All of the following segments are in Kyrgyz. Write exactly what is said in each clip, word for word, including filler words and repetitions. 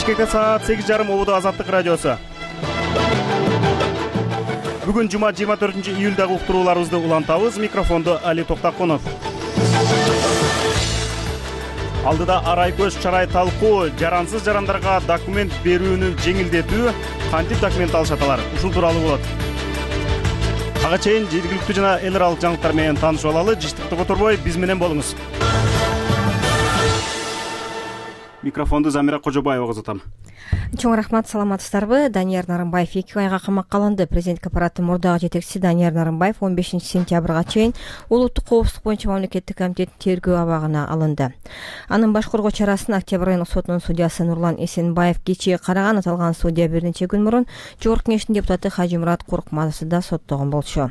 Бишкекте саат сегиз жарым Ободо Азаттык радиосу. Бүгүн жума жыйырма төртүнчү июлдагы уктурууларыбызды улантабыз. Микрофондо Али Токтакунов. Алдыда арай көз чарай талкуу, жарансыз жарандарга документ берүүнү жеңилдетүү, кантип документ алышат алар? Ушул тууралуу болот. Ага чейин жергиликтүү жана эл аралык жаңылыктар менен таанышып алалы. Жыштыкты которбой, биз менен болуңуз. Микрофонду Замира Кожобаевага узатам. Чоң рахмат, саламатсыздарбы? Данияр Нарымбаев эки айга камакка алынды. Президенттик аппараттын мурдагы жетекчиси Данияр Нарымбаев он бешинчи сентябрга чейин улуттук коопсуздук боюнча мамлекеттик комитеттин тергөө абагына алынды. Анын баш коргоо чарасын Октябрь айылык сотунун судьясы Нурлан Эсенбаев кечээ караган. Аталган судья бир нече күн мурун Жогорку Кеңештин депутаты Хажимурат Куркматовду да соттогон болчу.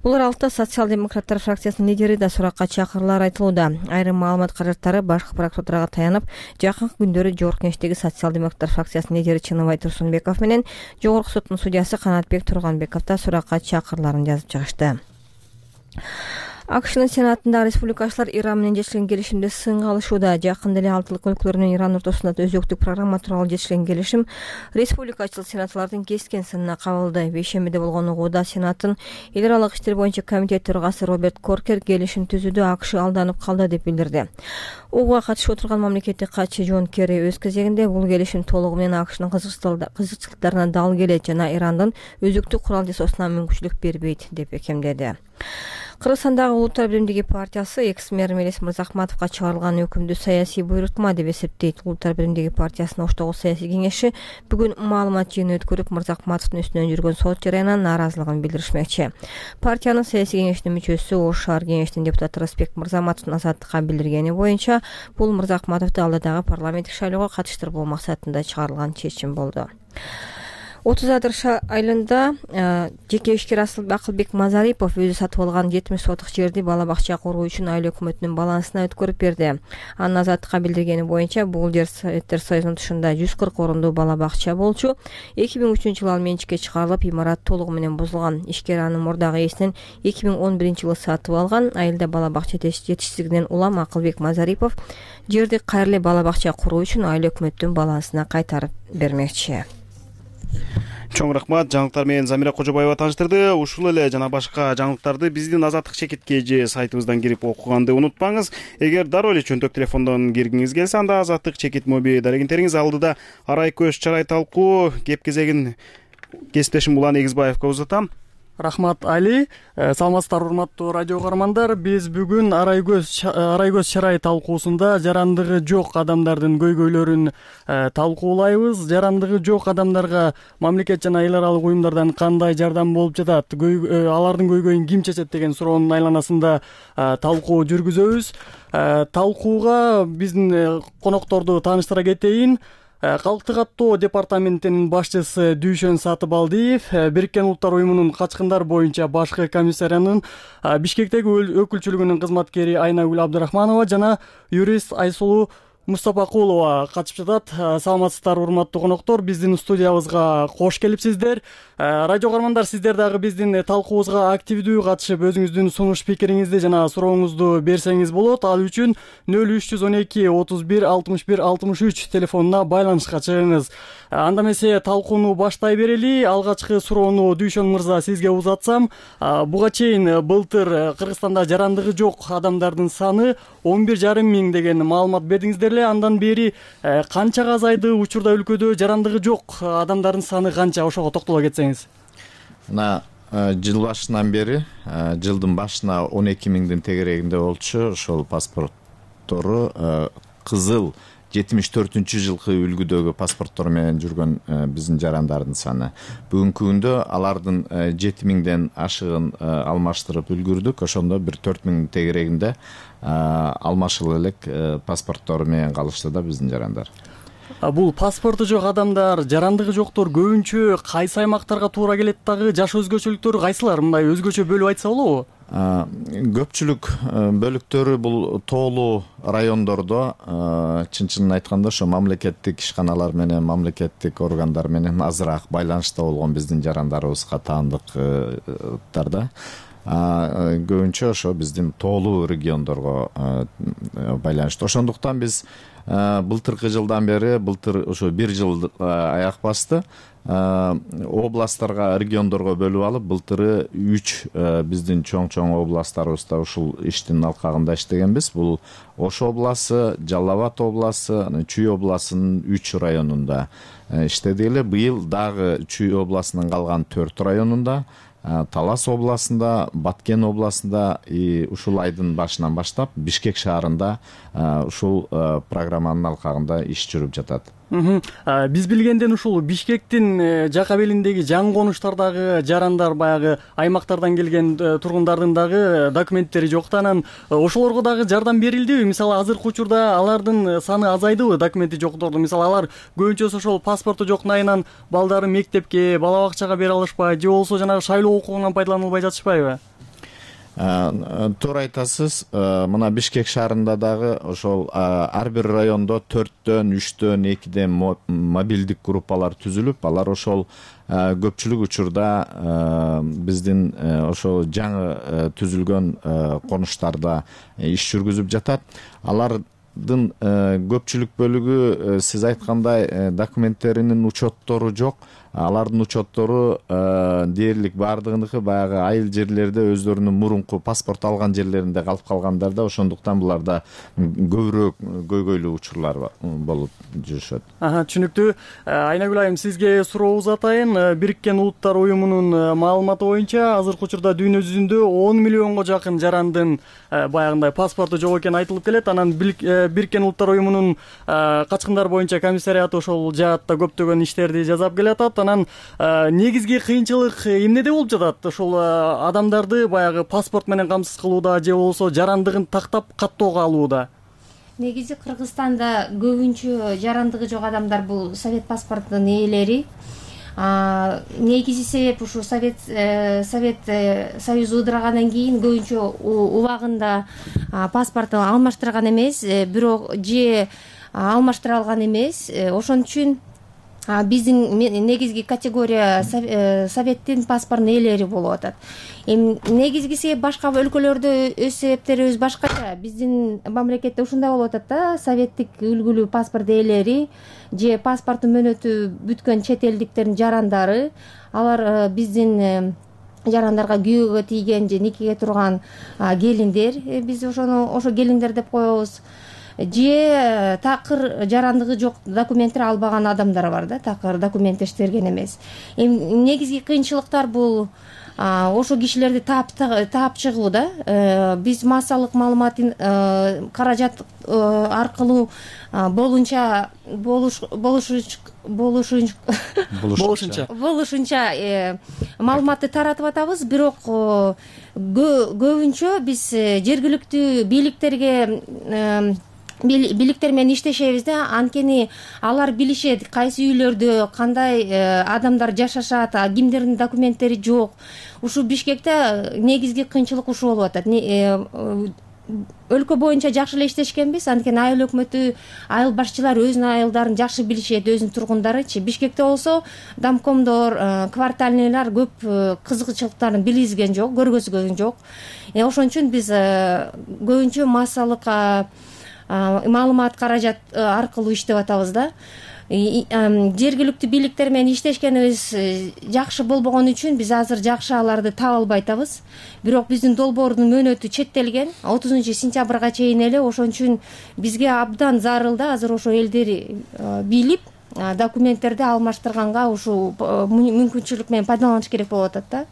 Бул аралыкта социал-демократтар фракциясынын лидери да суракка чакыруулар айтылууда. Айрым маалымат каражаттары башкы прокуратурага таянып, жакынкы күндөрү Жогорку Кеңештеги социал-демократтар фракциясынын лидери Чыныбай Турсунбеков менен Жогорку соттун судьясы Канатбек Турганбеков да суракка чакырууларын жазып чыгышты. АКШнын сенатында республикачылар Иран менен жетишкен келишимди сынга алышууда. Жакында эле алтылык өлкөлөр менен Иран ортосунда өзөктүк программа тууралуу жетишкен келишим республикачыл сенаторлордун кескен сынына кабылды. Бейшембиде болгон угууда Сенаттын эл аралык иштер боюнча комитет төрагасы Роберт Коркер келишим түзүүдө АКШ алданып калды деп билдирди. Угууга катышып отырган мамлекеттик катчы Джон Керри өз кезегинде бул келишим толугу менен АКШнын кызыкчылыктарына дал келет жана Ирандын өзөктүк курал жасоосуна мүмкүнчүлүк бербейт деп бекемдеди. Кыргызстандагы Улуттар биримдиги партиясы экс-мэр Мелис Мырзахматовго чыгарылган өкүмдү саясий буйрутма деп эсептейт. Улуттар биримдиги партиясынын оштогу саясий кеңеши бүгүн маалымат жыйыны өткөрүп, Мырзахматовдун үстүнөн жүргөн сот жарыянынан нааразылыгын билдиришмекчи. Партиянын саясий кеңешинин мүчөсү Ош шаар кеңешинин депутаты Рысбек Мырзаматовдун Азаттыкка билдиргени боюнча, бул Мырзахматовду алдыдагы парламенттик шайлоого катыштырбоо максатында чыгарылган чечим болду. отуз айылында жеке ишкер Акылбек Мазарипов өзү сатып алган жетимиш сотук жерди бала бакча куруу үчүн айыл өкмөтүнүн балансына өткөрүп берди. Анын Азаттыкка билдиргени боюнча бул жер Советтер Союзунун тушунда жүз кырк орундуу бала бакча болчу. эки миң үчүнчү жылы ал менчикке чыгарылып, имарат толугу менен бузулган. Ишкер анын мурдагы ээсинен эки миң он биринчи жылы сатып алган. Айылда бала бакча жетишсиздигинен улам Акылбек Мазарипов жерди кайра эле бала бакча куруу үчүн айыл өкмөттүнүн балансына кайтарып бермекчи. Чоң рахмат, жаңылыктар менен Замира Кожобаева тааныштырды. Ушул эле жана башка жаңылыктарды биздин Азаттык чекитке же сайтыбыздан кирип окуганды унутпаңыз. Эгер дароо эле чөнтөк телефондон киргиңиз келсе, анда Азаттык чекит моби дарегиңтериңиз алдыда арай көз чарай талкуу кеп кезегин кесиптешим Улан Эгизбаевга узатам. Рахмат, Али. Саламатсыздар, урматтуу радио каармандар. Биз бүгүн арай көз арай көз чарай талкуусунда жарандыгы жок адамдардын көйгөйлөрүн талкуулайбыз. Жарандыгы жок адамдарга мамлекет жана эл аралык уюмдардан кандай жардам болуп жатат, алардын көйгөйүн ким чечет деген суроонун айланасында талкуу жүргүзөбүз. Талкууга биздин конокторду тааныштыра кетейин. Калктык аттоо департаментинин башчысы Дүйшөн Сатыбалдиев, Бириккен Улуттар уюмунун качкындар боюнча башкы комиссариянын Бишкектеги өкүлчүлүгүнүн кызматкери Айнагүл Абдырахманова жана юрист Айсулуу Мустапакулова катышып жатат. Саламатсыздар, урматтуу коноктор, биздин студиябызга кош келипсиздер. Радио каармандар, сиздер дагы биздин талкуубузга активдүү катышып, өзүңүздүн сунуш пикириңизди жана сурооңузду берсеңиз болот. Ал үчүн нөл үч жүз он эки отуз бир алтымыш бир алтымыш үч телефонуна байланышка чыгыңыз. Анда эмесе талкууну баштай берели. Алгачкы суроону Дүйшөн мырза сизге узатсам, буга чейин былтыр Кыргызстанда жарандыгы жок адамдардын саны он бир жарым миң деген маалымат бердиңиздер. Андан бери канчага азайды, учурда өлкөдө жарандыгы жок адамдардын саны канча, ошого токтоло кетсеңиз. Мына жыл башынан бери, жылдын башына он эки миңдин тегерегинде болчу. Ошол паспорттору кызыл жетимиш төртүнчү жылкы үлгүдөгү паспорттор менен жүргөн биздин жарандардын саны. Бүгүнкү күндө алардын жети миңден ашыгын алмаштырып үлгүрдүк. Ошондо бир төрт миң тегерегинде алмашылып элек паспорттору менен калышты да биздин жарандар. Бул паспорту жок адамдар, жарандыгы жоктор көбүнчө кайсы аймактарга туура келет дагы, жаш өзгөчөлүктөрү кайсылар? Мындай өзгөчө бөлүп айтса болобу? Көпчүлүк бөлүктөрү бул тоолуу райондордо, чын-чынын айтканда ошо мамлекеттик ишканалар менен, мамлекеттик органдар менен азыраак байланышта болгон биздин жарандарыбызга таандыктарда. көбүнчө ошо биздин тоолуу региондорго байланыштуу. Ошондуктан биз былтыркы жылдан бери, былтыр ошо бир жыл аяк басты, областтарга, региондорго бөлүп алып, былтыры үч биздин чоң-чоң областтарыбызда ушул иштин алкагында иштегенбиз. Бул Ош обласы, Жалал Абад обласы, Чүй обласынын үч районунда иштедик эле. Быйыл дагы Чүй обласынын калган төрт районунда, Талас областында, Баткен областында ушул айдын башынан баштап Бишкек шаарында ушул программанын алкагында иш жүрүп жатат. Биз билгенден ушул Бишкектин жака белиндеги жаңы конуштардагы жарандар, баягы аймактардан келген тургундардын дагы документтери жок да, анан ошолорго дагы жардам берилдиби? Мисалы, азыркы учурда алардын саны азайдыбы, документи жоктордун? Мисалы, алар көбүнчөсү ошол паспорту жок найынан балдары мектепке, бала бакчага бере алышпайбы, же болбосо жанагы шайлоо укугунан пайдаланылбай жатышпайбы? Туура айтасыз. Мына Бишкек шаарында дагы ошол ар бир райондо төрттөн, үчтөн, экиден мобилдик группалар түзүлүп, алар ошол көпчүлүк учурда биздин ошол жаңы түзүлгөн конуштарда иш жүргүзүп жатат. Алардын көпчүлүк бөлүгү сиз айткандай документтеринин учеттору жок. Алардын учеттору дээрлик баардыгыныкы баягы айыл жерлерде өздөрүнүн мурунку паспорт алган жерлеринде калып калгандар да, ошондуктан буларда көбүрөөк көйгөйлүү учурлар болуп жүрүшөт. Түшүнүктүү. Айнагүл айым, сизге суроо узатайын. Бириккен Улуттар уюмунун маалыматы боюнча азыркы учурда дүйнө жүзүндө он миллионго жакын жарандын баягындай паспорту жок экени айтылып келет. Анан Бириккен Улуттар уюмунун качкындар боюнча комиссариаты ошол жаатта көптөгөн иштерди жасап келатат. Анан негизги кыйынчылык эмнеде болуп жатат? Ошол адамдарды баягы паспорт менен камсыз кылууда, же болбосо жарандыгын тактап каттоого алууда? Негизи Кыргызстанда көбүнчө жарандыгы жок адамдар бул совет паспортунун ээлери. Негизи себеп ушу совет совет союзу ыдырагандан кийин көбүнчө убагында паспортун алмаштырган эмес, бирок же алмаштыра алган эмес. Ошон үчүн биздин негизги категория советтин паспортунун ээлери болуп атат. Эми негизги себеп башка өлкөлөрдө өз себептерибиз башкача. Биздин мамлекетте ушундай болуп атат да, советтик үлгүлүү паспорт ээлери же паспортун мөөнөтү бүткөн чет элдиктердин жарандары, алар биздин жарандарга күйөөгө тийген же никеге турган келиндер, биз ошону ошо келиндер деп коебуз. Же такыр жарандыгы жок документтер албаган адамдар бар да, такыр документтештерген эмес. Эми негизги кыйынчылыктар бул ошо кишилерди таап таап чыгуу да. Биз массалык маалыматын каражат аркылуу болунча болуш болушунча болушунча маалыматты таратып атабыз, бирок көбүнчө биз жергиликтүү бийликтерге бийликтер менен иштешебиз да, анткени алар билишет кайсы үйлөрдө кандай адамдар жашашат, кимдердин документтери жок. Ушу Бишкекте негизги кыйынчылык ушул болуп атат. Өлкө боюнча жакшы эле иштешкенбиз, анткени айыл өкмөтү, айыл башчылар өзүнүн айылдарын жакшы билишет, өзүнүн тургундарычы. Бишкекте болсо домкомдор, квартальныйлар көп кызыкчылыктарын билгизген жок, көргөзгөн жок. Ошон үчүн биз көбүнчө массалык маалымат каражат аркылуу иштеп атабыз да. Жергиликтүү бийликтер менен иштешкенибиз жакшы болбогон үчүн биз азыр жакшы аларды таба албай атабыз. Бирок биздин долбоордун мөөнөтү четтелген отузунчу сентябрга чейин эле. Ошон үчүн бизге абдан зарыл да азыр ошо элдер билип документтерди алмаштырганга ушул мүмкүнчүлүк менен пайдаланыш керек болуп атат да.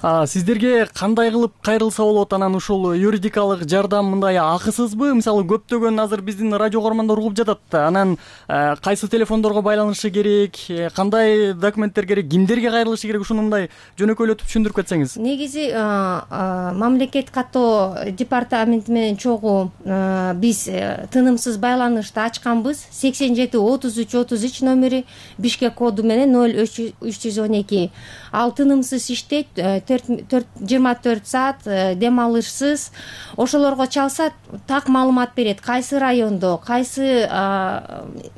Сиздерге кандай кылып кайрылса болот? Анан ушул юридикалык жардам мындай акысызбы? Мисалы, көптөгөн азыр биздин радио көрөрмандар угуп жатат да. Анан кайсы телефондорго байланышы керек, кандай документтер керек, кимдерге кайрылышы керек, ушуну мындай жөнөкөйлөтүп түшүндүрүп кетсеңиз. Негизи мамлекет каттоо департаменти менен чогуу биз тынымсыз байланышты ачканбыз. сексен жети отуз үч отуз үч номери Бишкек коду менен ноль үч жүз он эки. Ал тынымсыз иштейт. жыйырма төрт саат дем алышсыз ошолорго чалса так маалымат берет, кайсы райондо, кайсы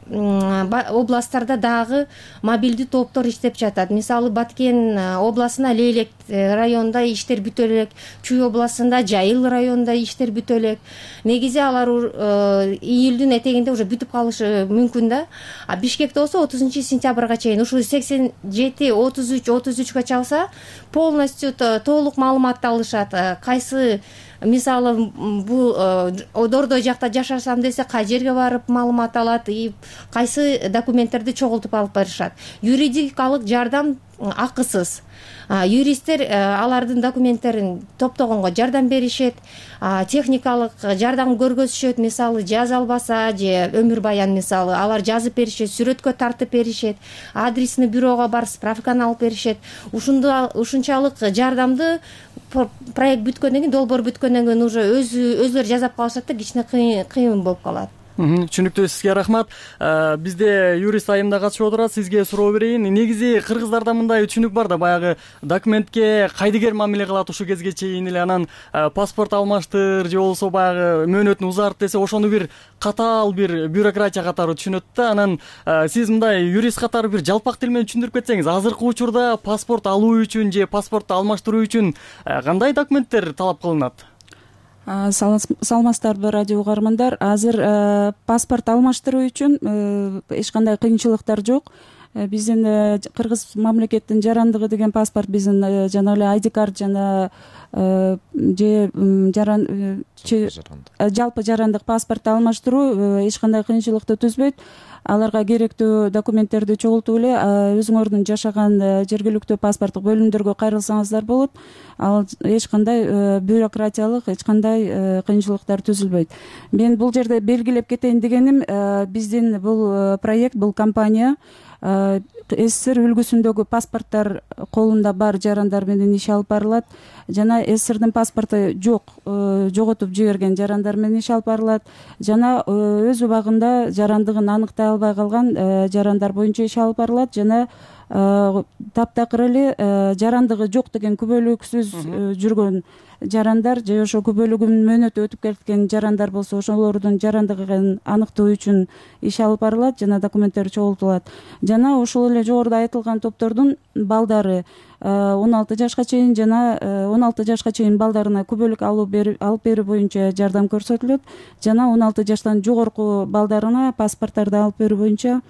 областтарда дагы мобилдүү топтор иштеп жатат. Мисалы Баткен областында Лейлек районунда иштер бүтө элек, Чүй областында Жайыл районунда иштер бүтө элек. Негизи алар июлдүн этегинде уже бүтүп калышы мүмкүн да. А Бишкекте болсо отузунчу сентябрга чейин ушул сексен жети отуз үч отуз үчкө чалса полностью толук маалыматты алышат. Кайсы мисалы бул Дордой жакта жашасам десе кай жерге барып маалымат алат, и кайсы документтерди чогултуп алып барышат. Юридикалык жардам акысыз. Юристтер алардын документтерин топтогонго жардам беришет, техникалык жардам көргөзүшөт, мисалы жаз албаса же өмүр баян мисалы алар жазып беришет, сүрөткө тартып беришет, адресный бюрого барып справканы алып беришет. Ушунчалык жардамды проект бүткөндөн кийин, долбоор бүткөндөн кийин уже өзүлөрү жасап калышат да, кичине кыйын болуп калат. Түшүнүктүү, сизге рахмат. Бизде юрист айым да катышып отурат. Сизге суроо берейин. Негизи кыргыздарда мындай түшүнүк бар да, баягы документке кайдыгер мамиле кылат ушул кезге чейин эле, анан паспорт алмаштыр же болбосо баягы мөөнөтүн узарт десе ошону бир катаал бир бюрократия катары түшүнөт да. Анан сиз мындай юрист катары бир жалпак тил менен түшүндүрүп кетсеңиз, азыркы учурда паспорт алуу үчүн же паспортду алмаштыруу үчүн кандай документтер талап кылынат? Саламатсыздарбы, радио угармандар. Азыр паспорт алмаштыруу үчүн эч кандай кыйынчылыктар жок. Биздин кыргыз мамлекеттин жарандыгы деген паспорт, биздин жана эле ай ди карт жана же жалпы жарандык паспортду алмаштыруу эч кандай кыйынчылыкты түзбөйт. Аларга керектүү документтерди чогултуп эле өзүңөрдүн жашаган жергиликтүү паспорттук бөлүмдөргө кайрылсаңыздар болот. Ал эч кандай бюрократиялык, эч кандай кыйынчылыктар түзүлбөйт. Мен бул жерде белгилеп кетейин дегеним, биздин бул проект, бул компания СССР үлгүсүндөгү паспорттор колунда бар жарандар менен иш алып барылат, жана СССРдин паспорту жок, жоготуп жиберген жарандар менен иш алып барылат, жана өз убагында жарандыгын аныктай албай калган жарандар боюнча иш алып барылат, жана таптакыр эле жарандыгы жок деген күбөлүксүз жүргөн жарандар же ошо күбөлүгүнүн мөөнөтү өтүп кеткен жарандар болсо ошолордун жарандыгын аныктоо үчүн иш алып барылат жана документтер чогултулат. Жана ошол эле жогоруда айтылган топтордун балдары он алты жашка чейин жана он алты жашка чейин балдарына күбөлүк алып берүү боюнча жардам көрсөтүлөт, жана он алты жаштан жогорку балдарына паспорттарды алып берүү боюнча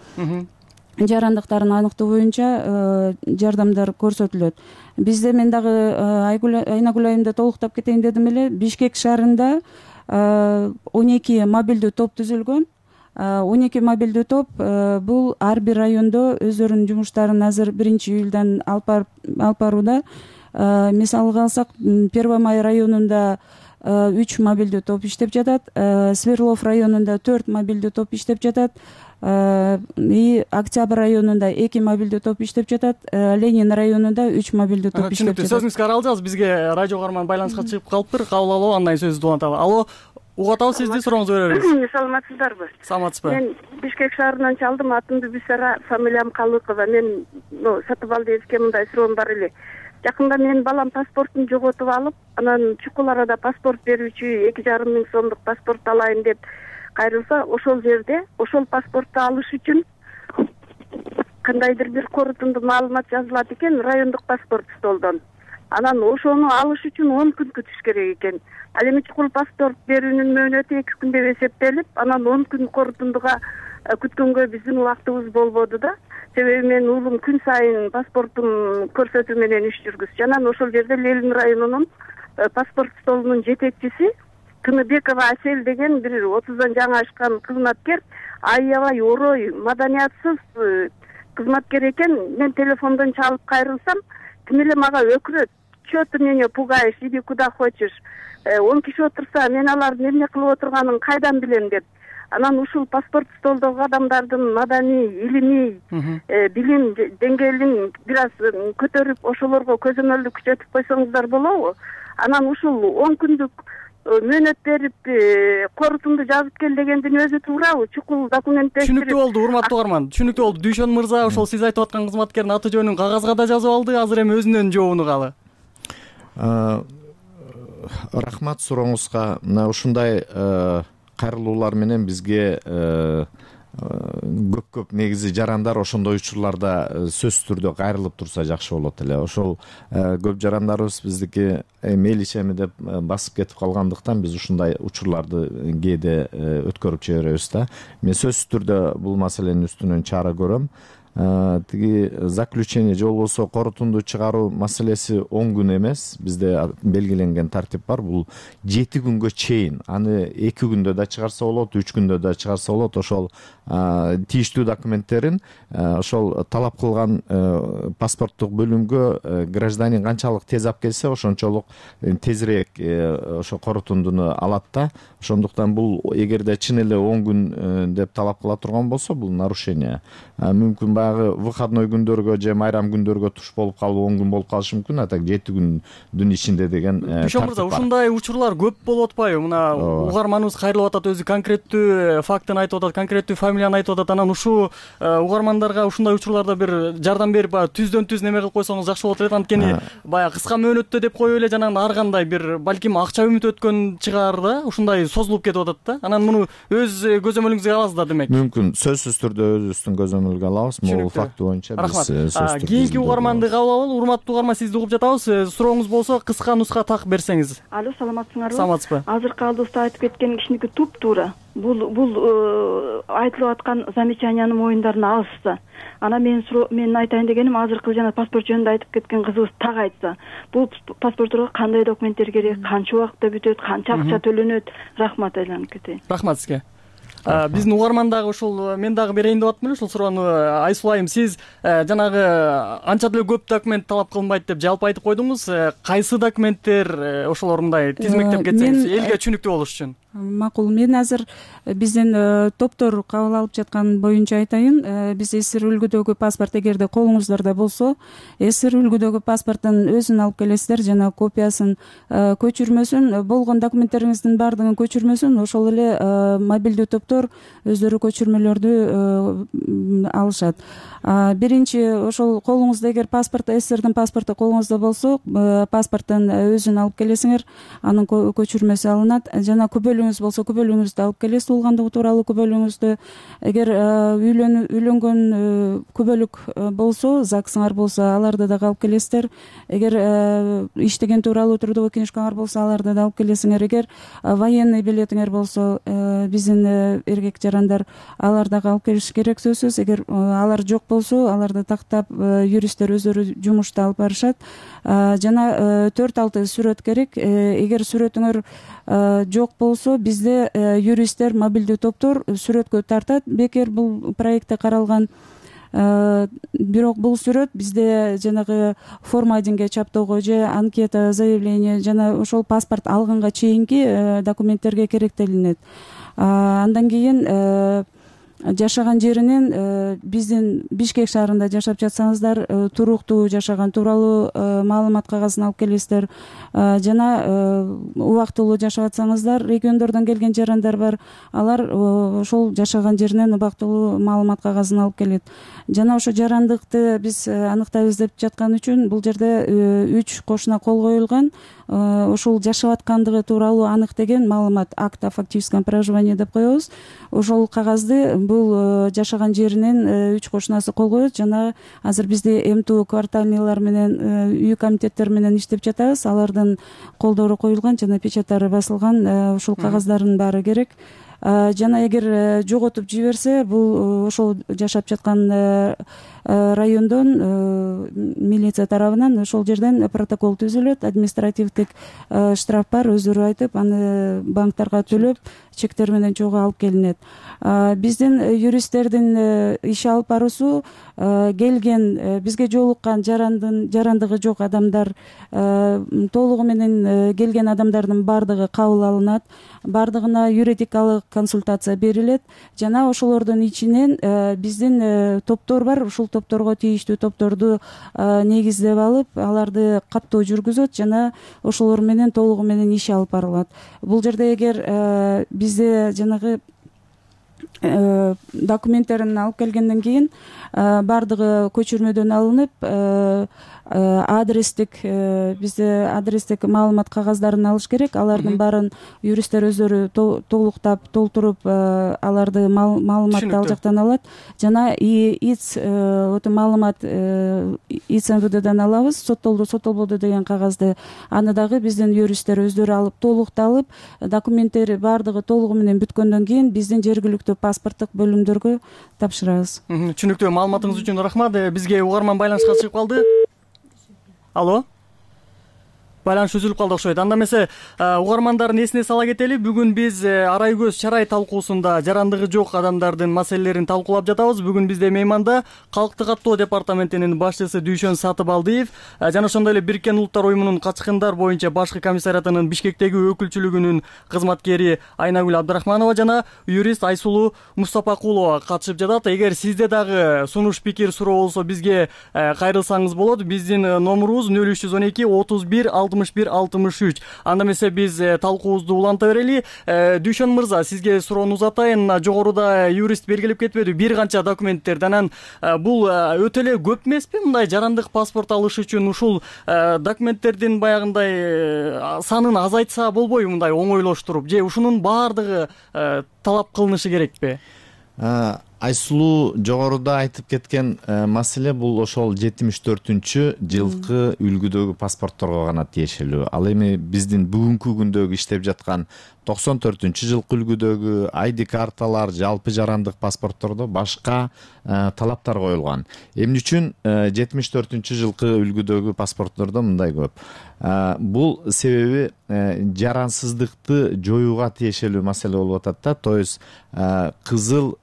жарандыктарын аныктоо боюнча жардамдар көрсөтүлөт. Бизде, мен дагы Айнагүл айымда толуктап кетейин дедим эле, Бишкек шаарында он эки мобилдүү топ түзүлгөн. он эки мобилдүү топ бул ар бир райондо өздөрүнүн жумуштарын азыр биринчи июлдан алып барууда. Мисалга алсак, Первомай районунда үч мобилдүү топ иштеп жатат, Сверлов районунда төрт мобилдүү топ иштеп жатат, и Октябрь районунда эки мобилдүү топ иштеп жатат, Ленин районунда үч мобилдүү топ иштеп жатат. Сөзүңүзгө аралжабыз, бизге радио угарман байланышка чыгып калыптыр. Кабыл алуу, андан сөздү уланталы. Алло, угуп атабыз сизди, сурооңузду беребиз. Саламатсыздарбы? Саламатсызбы? Мен Бишкек шаарынан чалдым, атымды Бисара, фамилиям Калыкова. Мен Сатыбалдиевке мындай суроом бар эле. Жакында менин балам паспортун жоготуп алып, анан чукул арада паспорт берүүчү эки жарым миң сомдук паспорт алайын деп кайрылса, ошол жерде ошол паспортду алыш үчүн кандайдыр бир корутунду маалымат жазылат экен, райондук паспорт столдон. Анан ошону алыш үчүн он күн күтүш керек экен. Ал эми чукул паспорт берүүнүн мөөнөтү эки күн деп эсептелип, анан он күн корутундуга күткөнгө биздин убактыбыз болбоду да. Себеби менин уулум күн сайын паспортун көрсөтүү менен иш жүргүзчү. Анан ошол жерде Ленин районунун паспорт столунун жетекчиси Тыныбекова Асель деген бир отуздан жаңы ашкан кызматкер, аябай орой, маданиятсыз кызматкер экен. Мен телефондон чалып кайрылсам, тим эле мага өкүрөт. Чё ты меня пугаешь, иди куда хочешь. он киши отурса, мен алардын эмне кылып отурганын кайдан билем деп. Анан ушул паспорт столдогу адамдардын маданий, илимий, билим деңгээлин бир аз көтөрүп, ошолорго көзөмөлдү күчөтүп койсоңуздар болобу? Анан ушул он күндүк мөөнөт берип, корутунду жазып кел дегендин өзү туурабы? Чукул документтештирип. Түшүнүктүү болду, урматтуу угарман. Түшүнүктүү болду. Дүйшөн мырза ошол сиз айтып аткан кызматкердин аты жөнүн кагазга да жазып алды, азыр эми өзүнүн жообун угалы. Рахмат сурооңузга. Мына ушундай кайрылуулар менен бизге көп көп негизи жарандар ошондой учурларда сөзсүз түрдө кайрылып турса жакшы болот эле. Ошол көп жарандарыбыз биздики мейличеми деп басып кетип калгандыктан биз ушундай учурларды кээде өткөрүп жиберебиз да. Мен сөзсүз түрдө бул маселенин үстүнөн чара көрөм. Тиги заключение же болбосо корутунду чыгаруу маселеси он күн эмес. Бизде белгиленген тартип бар. Бул жети күнгө чейин. Аны эки күндө да чыгарса болот, үч күндө да чыгарса болот. Ошол тийиштүү документтерин ошол талап кылган паспорттук бөлүмгө гражданин канчалык тез алып келсе, ошончолук тезирээк ошо корутундуну алат да. Ошондуктан бул эгерде чын эле он күн деп талап кыла турган болсо, бул нарушение. Мүмкүн баягы выходной күндөргө же майрам күндөргө туш болуп калып он күн болуп калышы мүмкүн, а так жети күндүн ичинде деген Бишон мырза, ушундай учурлар көп болуп атпайбы? Мына угарманыбыз кайрылып атат, өзү конкреттүү фактын айтып атат, конкреттүү фамилияны айтып атат. Анан ушу угармандарга ушундай учурларда бир жардам берип, түздөн түз неме кылып койсоңуз жакшы болот эле. Анткени баягы кыска мөөнөттө деп коюп эле жанагы ар кандай бир балким акча үмүт өткөн чыгар да, ушундай созулуп кетип атат да. Анан муну өз көзөмөлүңүзгө аласыздар демек. Мүмкүн сөзсүз түрдө өзүбүздүн көзөмөлгө алабыз. Могул факты боюнча биз Рахмат. Кийинки угарманды кабыл алалы. Урматтуу угарман, сизди угуп жатабыз. Сурооңуз болсо кыска нуска так берсеңиз. Алло, саламатсыңарбы? Саламатсызбы? Азыркы алдыбызда айтып кеткен кишиники туп-туура. Бул бул айтылып аткан замечаниянын моюндарына алышса. Ана мен мен айтайын дегеним, азыркы жана паспорт жөнүндө айтып кеткен кызыбыз так айтса. Бул паспортторго кандай документтер керек, канча убакытта бүтөт, канча акча төлөнөт? Рахмат, айланып кетейин. Рахмат сизге. Биздин угарман дагы ушул, мен дагы берейин деп атмын эле ушул суроону. Айсулайым, сиз жанагы анча деле көп документ талап кылынбайт деп жалпы айтып койдуңуз. Кайсы документтер ошолор мындай тизмектеп кетсеңиз элге түшүнүктүү болуш үчүн? Макул. Мен азыр биздин топтор кабыл алып жаткан боюнча айтайын. Биз эсир үлгүдөгү паспорт, эгерде колуңуздарда болсо, эсир үлгүдөгү паспорттун өзүн алып келесиздер, жана копиясын, көчүрмөсүн, болгон документтериңиздин баардыгын көчүрмөсүн, ошол эле мобилдүү топтор өздөрү көчүрмөлөрдү алышат. Биринчи, ошол колуңузда эгер паспорт, эсирдин паспорту колуңузда болсо, паспорттун өзүн алып келесиңер, анын көчүрмөсү алынат. Жана күбөлүңүз болсо, күбөлүңүздү алып келесиз, туулгандыгы тууралуу күбөлүңүздү. Эгер үйлөнгөн күбөлүк болсо, ЗАГСыңар болсо, аларды да алып келесиздер. Эгер иштеген тууралуу трудовой книжкаңар болсо, аларды да алып келесиңер. Эгер военный билетиңер болсо, биздин эркек жарандар аларды алып келиш керек сөзсүз. Эгер алар жок болсо, аларды тактап юристтер өздөрү жумушта алып барышат. Жана төрт алты сүрөт керек. Эгер сүрөтүңөр жок болсо, бизде юристтер, мобилдүү топтор сүрөткө тартат. Бекер бул проектте каралган. Бирок бул сүрөт бизде жанагы форма-одинге чаптоого же анкета, заявление жана ошол паспорт алганга чейинки документтерге керектелинет. Андан кийин жашаган жеринен, биздин Бишкек шаарында жашап жатсаңыздар, туруктуу жашаган тууралуу маалымат кагазын алып келесиздер. Жана убактылуу жашап атсаңыздар, региондордон келген жарандар бар, алар ошол жашаган жеринен убактылуу маалымат кагазын алып келет. Жана ошо жарандыкты биз аныктайбыз деп жаткан үчүн бул жерде үч кошуна кол коюлган. Ошол жашап аткандыгы тууралуу анык деген маалымат, акт о фактическом проживании деп коебуз. Ошол кагазды бул жашаган жеринен үч кошунасы кол коет. Жана азыр бизде МТУ квартальныйлар менен, үй комитеттер менен иштеп жатабыз. Алардын колдору коюлган жана печаттары басылган. Ушул кагаздардын баары керек. Жана эгер жоготуп жиберсе, бул ошол жашап жаткан райондон милиция тарабынан ошол жерден протокол түзүлөт, административдик штраф бар, өздөрү айтып, аны банктарга төлөп, чектер менен чогуу алып келинет. Биздин юристтердин иш алып баруусу келген, бизге жолуккан жарандын жарандыгы жок адамдар, толугу менен келген адамдардын баардыгы кабыл алынат, баардыгына юридикалык консультация берилет. Жана ошолордун ичинен биздин топтор бар, ушул топторго тийиштүү топторду негиздеп алып, аларды каттоо жүргүзөт жана ошолор менен толугу менен иш алып барылат. Бул жерде эгер бизде жанагы документтерин алып келгенден кийин баардыгы көчүрмөдөн алынып, адрестик бизде адрестик маалымат кагаздарын алыш керек. Алардын баарын юристтер өздөрү толуктап толтуруп аларды маалыматты ал жактан алат. Жана ИЦ ото маалымат ИЦ эм вэ дэден алабыз. Соттолду соттолбоду деген кагазды аны дагы биздин юристтер өздөрү алып толукталып, документтери баардыгы толугу менен бүткөндөн кийин биздин жергиликтүү паспорттук бөлүмдөргө тапшырабыз. Түшүнүктүү. Маалыматыңыз үчүн рахмат. Бизге угарман байланышка чыгып калды. Алло. Байланыш үзүлүп калды окшойт. Анда эмесе угармандардын эсине сала кетели. Бүгүн биз арай көз чарай талкуусунда жарандыгы жок адамдардын маселелерин талкуулап жатабыз. Бүгүн бизде мейманда Калктык каттоо департаментинин башчысы Дүйшөн Сатыбалдиев жана ошондой эле Бириккен Улуттар уюмунун качкындар боюнча башкы комиссариатынын Бишкектеги өкүлчүлүгүнүн кызматкери Айнагүл Абдрахманова жана юрист Айсулуу Мустапакулова катышып жатат. Эгер сизде дагы сунуш, пикир, суроо болсо бизге кайрылсаңыз болот. Биздин номурубуз нөл үч жүз он эки отуз бир алтымыш бир алтымыш үч. Анда эмесе биз талкуубузду уланта берели. Дүйшөн мырза, сизге суроону узатайын. Жогоруда юрист белгилеп кетпеди бир канча документтерди. Анан бул өтө эле көп эмеспи? Мындай жарандык паспорт алыш үчүн ушул документтердин баягындай санын азайтса болбойбу, мындай оңойлоштуруп, же ушунун баардыгы талап кылынышы керекпи? Айсулуу жогоруда айтып кеткен маселе бул ошол жетимиш төртүнчү жылкы үлгүдөгү паспортторго гана тиешелүү. Ал эми биздин бүгүнкү күндөгү иштеп жаткан токсон төртүнчү жылкы үлгүдөгү ай ди карталар, жалпы жарандык паспорттордо башка талаптар коюлган. Эмне үчүн жетимиш төртүнчү жылкы үлгүдөгү паспорттордо мындай көп? Бул себеби жарансыздыкты жоюуга тиешелүү маселе болуп атат да. То есть кызыл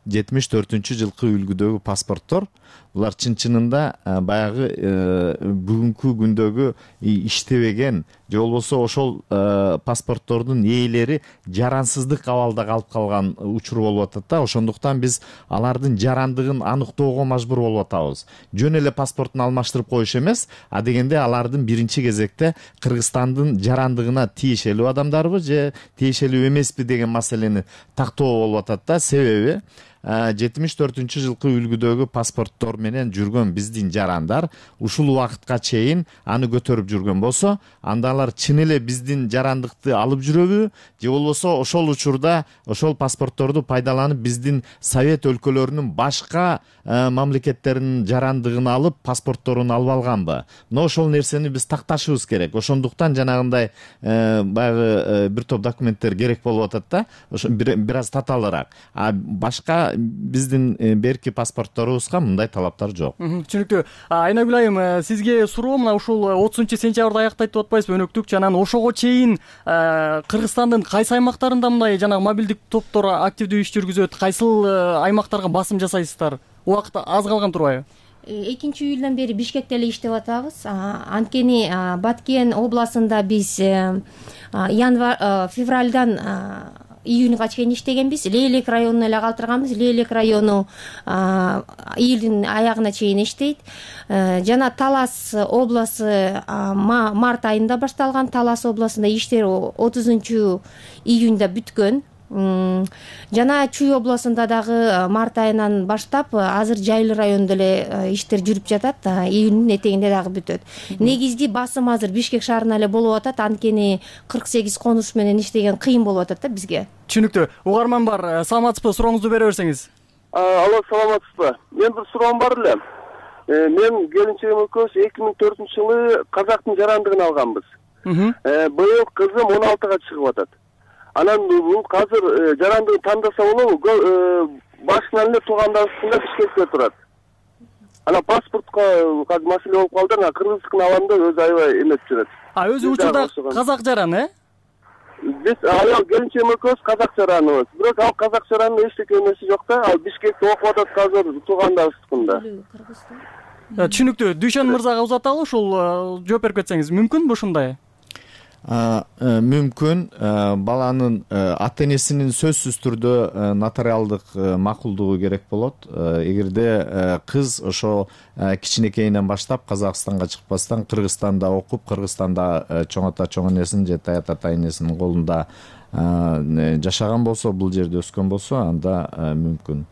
жетимиш төртүнчү жылкы үлгүдөгү паспорттор булар чын-чынында баягы бүгүнкү күндөгү иштебеген же болбосо ошол паспорттордун ээлери жарансыздык абалда калып калган учур болуп атат да. Ошондуктан биз алардын жарандыгын аныктоого мажбур болуп атабыз. Жөн эле паспортун алмаштырып коюш эмес, а дегенде алардын биринчи кезекте Кыргызстандын жарандыгына тиешелүү адамдарбы же тиешелүү эмеспи деген маселени тактоо болуп атат да. Себеби жетимиш төртүнчү жылкы үлгүдөгү паспорттор менен жүргөн биздин жарандар ушул убакытка чейин аны көтөрүп жүргөн болсо, анда алар чын эле биздин жарандыкты алып жүрөбү же болбосо ошол учурда ошол паспортторду пайдаланып биздин Совет өлкөлөрүнүн башка мамлекеттеринин жарандыгын алып паспортторун алып алганбы? Но ошол нерсени биз такташыбыз керек. Ошондуктан жанагындай баягы бир топ документтер керек болуп атат да. Ошо бир аз татаалыраак. А башка биздин берки паспортторубузга мындай талаптар жок. Түшүнүктүү. Айнагүл айым, сизге суроо мына ушул отузунчу сентябрда аяктайт деп атпайсызбы өнөктүк? Жана ошого чейин Кыргызстандын кайсы аймактарында мындай жанагы мобилдик топтор активдүү иш жүргүзөт? Кайсыл аймактарга басым жасайсыздар? Убакыт аз калган турбайбы? экинчи июлдан бери Бишкекте эле иштеп атабыз. Анткени Баткен областында биз январь февралдан июнга чейин иштегенбиз. Лейлек районуна эле калтырганбыз. Лейлек району июлдун аягына чейин иштейт. Жана Талас обласы март айында башталган. Талас областында иштер отузунчу июнда бүткөн. Жана Чүй областында дагы март айынан баштап азыр Жайлы районунда эле иштер жүрүп жатат. Июндун этегинде дагы бүтөт. Негизги басым азыр Бишкек шаарына эле болуп атат. Анткени кырк сегиз конуш менен иштеген кыйын болуп атат да бизге. Түшүнүктүү. Угарман бар. Саламатсызбы? Сурооңузду бере берсеңиз. Алло, саламатсызбы? Мен бир суроом бар эле. Мен келинчегим экөөбүз эки миң төртүнчү жылы казактын жарандыгын алганбыз. Быйыл кызым он алтыга чыгып атат. Анан бул азыр жарандыгын тандаса болобу? Башынан эле туугандарыбыздын Бишкекте турат. Анан паспортко азыр маселе болуп калды. Анан кыргыздыкын алам деп өзү аябай эмес жүрөт. А өзү учурда казак жаран, э? Биз аял келинчегим экөөбүз казак жараныбыз. Бирок ал казак жаранын эчтеке эмеси жок да. Ал Бишкекте окуп атат азыр туугандарыбыздыкында. Түшүнүктүү. Дүйшөн мырзага узаталы, ушул жооп берип кетсеңиз мүмкүнбү ушундай? Мүмкүн. Баланын ата энесинин сөзсүз түрдө нотариалдык макулдугу керек болот. Эгерде кыз ошо кичинекейинен баштап Казакстанга чыкпастан Кыргызстанда окуп, Кыргызстанда чоң ата чоң энесинин же тая тата энесинин колунда жашаган болсо, бул жерде өскөн болсо, анда мүмкүн.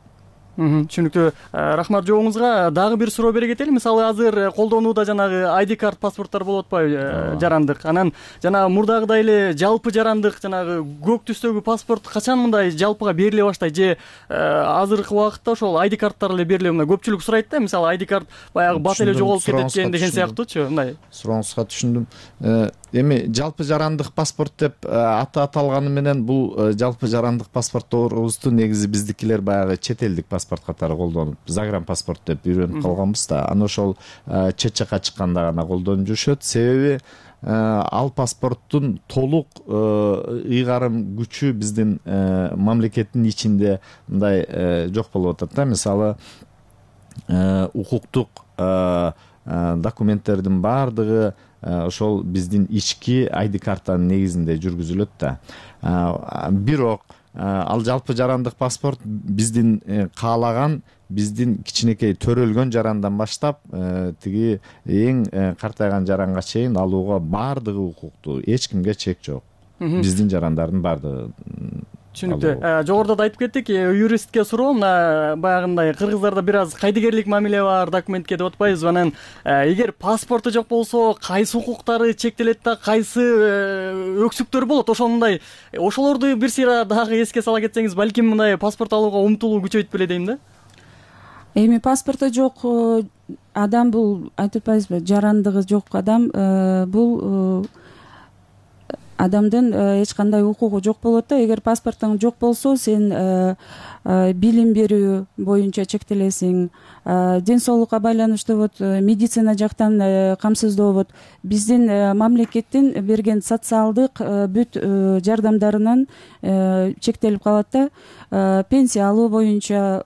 Түшүнүктүү. Рахмат жообуңузга. Дагы бир суроо бере кетели. Мисалы азыр колдонууда жанагы ай ди карт паспорттор болуп атпайбы, жарандык. Анан жанагы мурдагыдай эле жалпы жарандык жанагы көк түстөгү паспорт качан мындай жалпыга бериле баштайт же азыркы убакытта ошол ай ди карттар эле бериле? Мына көпчүлүк сурайт да, мисалы ай ди карт баягы бат эле жоголуп кетет экен деген сыяктуучу. Мындай сурооңузга түшүндүм. Эми жалпы жарандык паспорт деп аты аталганы менен бул жалпы жарандык паспортторубузду негизи биздикилер баягы чет элдик паспорт катары колдонуп, загран паспорт деп үйрөнүп калганбыз да. Аны ошол чет жакка чыкканда гана колдонуп жүрүшөт. Себеби ал паспорттун толук ыйгарым күчү биздин мамлекеттин ичинде мындай жок болуп атат да. Мисалы укуктук документтердин баардыгы ошол биздин ички ай ди картанын негизинде жүргүзүлөт да. Бирок ал жалпы жарандык паспорт биздин каалаган биздин кичинекей төрөлгөн жарандан баштап тиги эң картайган жаранга чейин алууга баардыгы укуктуу, эч кимге чек жок. Биздин жарандардын баардыгы. Түшүнүктүү. Жогоруда да айтып кеттик, юристке суроо, мына баягындай кыргыздарда бир аз кайдыгерлик мамиле бар документке деп атпайбызбы? Анан эгер паспорту жок болсо кайсы укуктары чектелет да кайсы өксүктөр болот? Ошондой ошолорду бир сыйра дагы эске сала кетсеңиз, балким мындай паспорт алууга умтулуу күчөйт беле дейм да. Эми паспорту жок адам бул айтып атпайбызбы? Жарандыгы жок адам бул адамдын эч кандай укугу жок болот да. Эгер паспортуң жок болсо, сен билим берүү боюнча чектелесиң, ден соолукка байланыштуу вот медицина жактан камсыздоо, биздин мамлекеттин берген социалдык бүт жардамдарынан чектелип калат да. Пенсия алуу боюнча,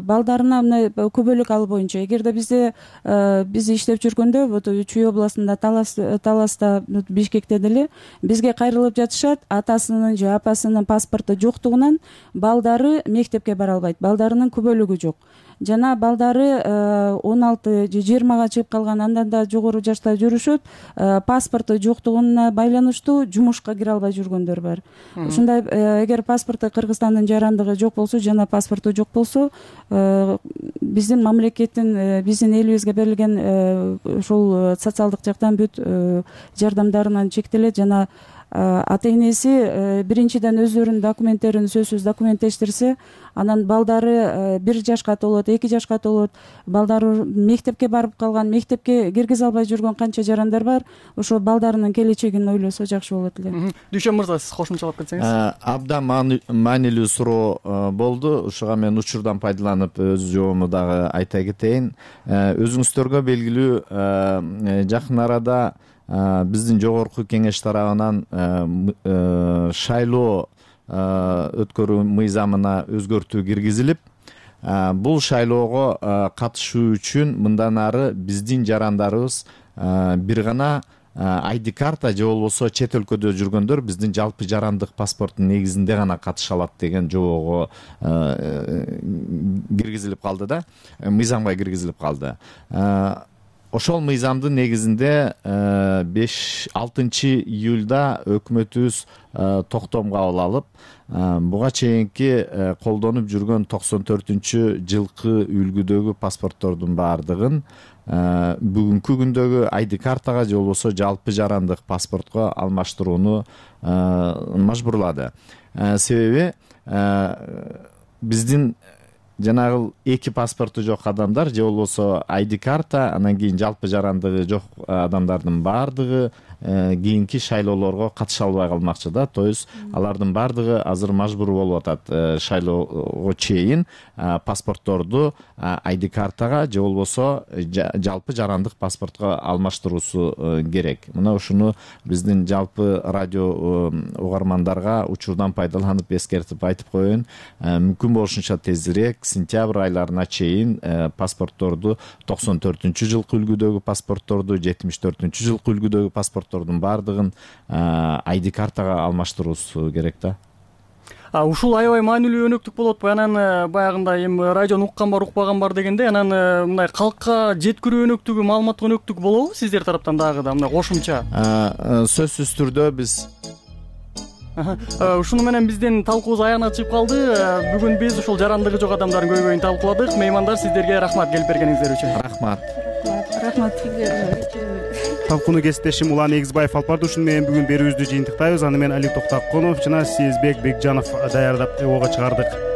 балдарына мына көбөлүк алуу боюнча. Эгерде бизде биз иштеп жүргөндө вот Чүй областында Талас Таласта Бишкекте деле бизге кайрылып жатышат, атасынын же апасынын паспорту жоктугунан балдары мектепке бара албайт, балдарынын көбөлүгү жок. Жана балдары он алты же жыйырмага чыгып калган, андан да жогору жашта жүрүшөт, паспорту жоктугуна байланыштуу жумушка кире албай жүргөндөр бар. Ушундай эгер паспорту Кыргызстандын жарандыгы жок болсо жана паспорту жок болсо, биздин мамлекеттин биздин элибизге берилген ушул социалдык жактан бүт жардамдарынан чектелет. Жана ата энеси биринчиден өздөрүнүн документтерин сөзсүз документтештирсе, анан балдары бир жашка толот, эки жашка толот, балдары мектепке барып калган, мектепке киргизе албай жүргөн канча жарандар бар. Ошо балдарынын келечегин ойлосо жакшы болот эле. Дүйшөн мырза, сиз кошумчалап кетсеңиз. Абдан маанилүү суроо болду. Ушуга мен учурдан пайдаланып өз жообумду дагы айта кетейин. Өзүңүздөргө белгилүү, жакын арада биздин жогорку кеңеш тарабынан шайлоо өткөрүү мыйзамына өзгөртүү киргизилип, бул шайлоого катышуу үчүн мындан ары биздин жарандарыбыз бир гана ай ди карта же болбосо чет өлкөдө жүргөндөр биздин жалпы жарандык паспорттун негизинде гана катыша алат деген жобого киргизилип калды да, мыйзамга киргизилип калды. Ошол мыйзамдын негизинде беш алтынчы июлда өкмөтүбүз токтом кабыл алып, буга чейинки колдонуп жүргөн токсон төртүнчү жылкы үлгүдөгү паспорттордун баардыгын бүгүнкү күндөгү ай ди картага же болбосо жалпы жарандык паспортко алмаштырууну мажбурлады. Себеби биздин жанагы эки паспорту жок адамдар же болбосо ай ди карта, анан кийин жалпы жарандыгы жок адамдардын баардыгы кийинки шайлоолорго катыша албай калмакчы да. То есть алардын баардыгы азыр мажбур болуп атат шайлоого чейин паспортторду ай ди картага же болбосо жалпы жарандык паспортко алмаштыруусу керек. Мына ушуну биздин жалпы радио угармандарга учурдан пайдаланып эскертип айтып коеюн. Мүмкүн болушунча тезирээк сентябрь айларына чейин паспортторду токсон төртүнчү жылкы үлгүдөгү паспортторду, жетимиш төртүнчү жылкы үлгүдөгү паспорттордун баардыгын ай ди картага алмаштыруусу керек да. Ушул аябай маанилүү өнөктүк болуп атпайбы? Анан баягындай эми радиону уккан бар, укпаган бар дегенде, анан мындай калкка жеткирүү өнөктүгү, маалымат өнөктүгү болобу сиздер тараптан дагы да мындай кошумча? Сөзсүз түрдө биз Ушуну менен биздин талкуубуз аягына чыгып калды. Бүгүн биз ушул жарандыгы жок адамдардын көйгөйүн талкууладык. Меймандар, сиздерге рахмат келип бергениңиздер үчүн. Рахмат. Рахмат. Талкууну кесиптешим Улан Эгизбаев алып барды. Ушуну менен бүгүн берүүбүздү жыйынтыктайбыз. Аны мен Али Токтоконов жана Сезбек Бекжанов даярдап эбоого чыгардык.